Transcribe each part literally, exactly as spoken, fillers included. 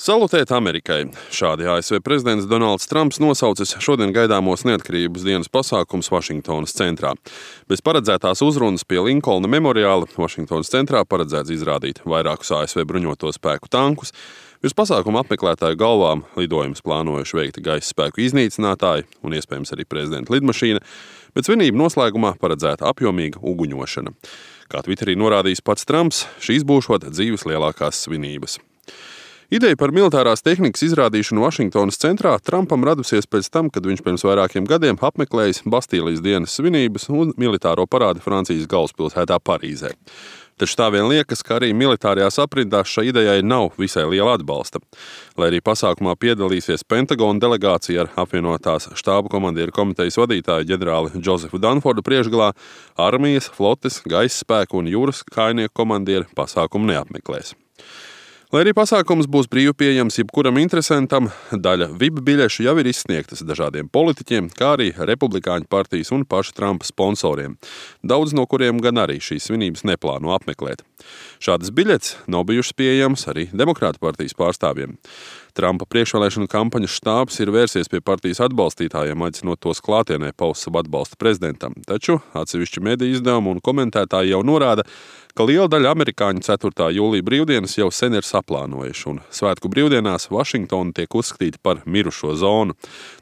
Salutēt Amerikai! Šādi A S V prezidents Donalds Trumps nosaucis šodien gaidāmos neatkarības dienas pasākums Vašingtonas centrā. Bez paredzētās uzrunas pie Linkolna memoriāla Vašingtonas centrā paredzēts izrādīt vairākus A S V bruņoto spēku tankus. Virs pasākuma apmeklētāju galvām lidojumus plānojuši veikt gaisa spēku iznīcinātāji un iespējams arī prezidenta lidmašīna, bet svinību noslēgumā paredzēta apjomīga uguņošana. Kā Twitterī norādījis pats Trumps, šīs būšot dzīves lielākās svinības. Ideja par militārās tehnikas izrādīšanu Vašingtonas centrā Trumpam radusies pēc tam, kad viņš pirms vairākiem gadiem apmeklējis Bastīlijas dienas svinības un militāro parādi Francijas galvaspilsētā Parīzē. Taču tā vien liekas, ka arī militārajās aprindās šai idejai nav visai liela atbalsta. Lai arī pasākumā piedalīsies Pentagona delegācija ar apvienotās štābu komandieru komitejas vadītāju ģenerāli Džozefu Danfordu priekšgalā, armijas, flotes, gaisa spēku un jūras kājnieku komandieri pasākumu neapmeklēs. Lai arī pasākums būs brīvi pieejams jebkuram interesantam, daļa V I P biļešu jau ir izsniegtas dažādiem politiķiem, kā arī Republikāņu partijas un paša Trumpa sponsoriem, daudz no kuriem gan arī šīs svinības neplāno apmeklēt. Šādas biļetes nav bijušas pieejamas arī Demokrātu partijas pārstāvjiem. Trumpa priekšvēlēšanu kampaņas štābs ir vērsies pie partijas atbalstītājiem, aicinot tos klātienē paust savu atbalstu prezidentam, taču atsevišķi mediju izdevumi un komentētāji jau norāda, ka liela daļa amerikāņu ceturtā jūlija brīvdienas jau sen ir saplānojuši, un svētku brīvdienās Vašingtona tiek uzskatīta par mirušo zonu,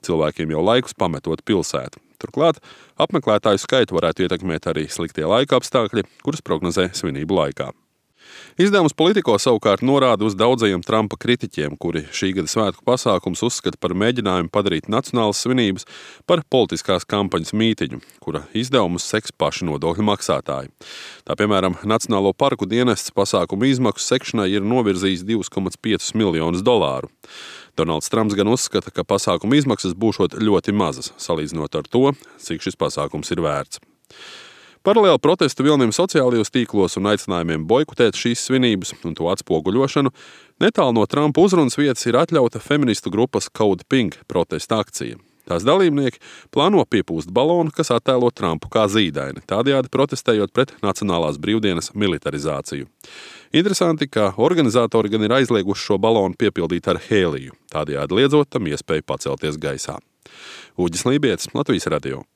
cilvēkiem jau laikus pametot pilsētu. Turklāt apmeklētāju skaitu varētu ietekmēt arī sliktie laika apstākļi, kurus prognozē svinību laikā. Izdevums Politico savukārt norāda uz daudzajiem Trumpa kritiķiem, kuri šī gada svētku pasākums uzskata par mēģinājumu padarīt nacionālas svinības par politiskās kampaņas mītiņu, kura izdevumus seks paši nodokļu maksātāji. Tā piemēram, Nacionālo parku dienests pasākumu izmaksu sekšanai ir novirzījis divus komats piecus miljonus dolāru. Donalds Trumps gan uzskata, ka pasākuma izmaksas būšot ļoti mazas, salīdzinot ar to, cik šis pasākums ir vērts. Paralēli protestu vilnim sociālajos tīklos un aicinājumiem boikotēt šīs svinības un to atspoguļošanu, netālu no Trumpa uzrunas vietas ir atļauta feministu grupas Code Pink protesta akcija. Tās dalībnieki plāno piepūst balonu, kas attēlo Trumpu kā zīdaini, tādējādi protestējot pret nacionālās brīvdienas militarizāciju. Interesanti, ka organizatori gan ir aizlieguši šo balonu piepildīt ar hēliju, tādējādi liedzot tam iespēju pacelties gaisā. Uģis Lībietis, Latvijas radio.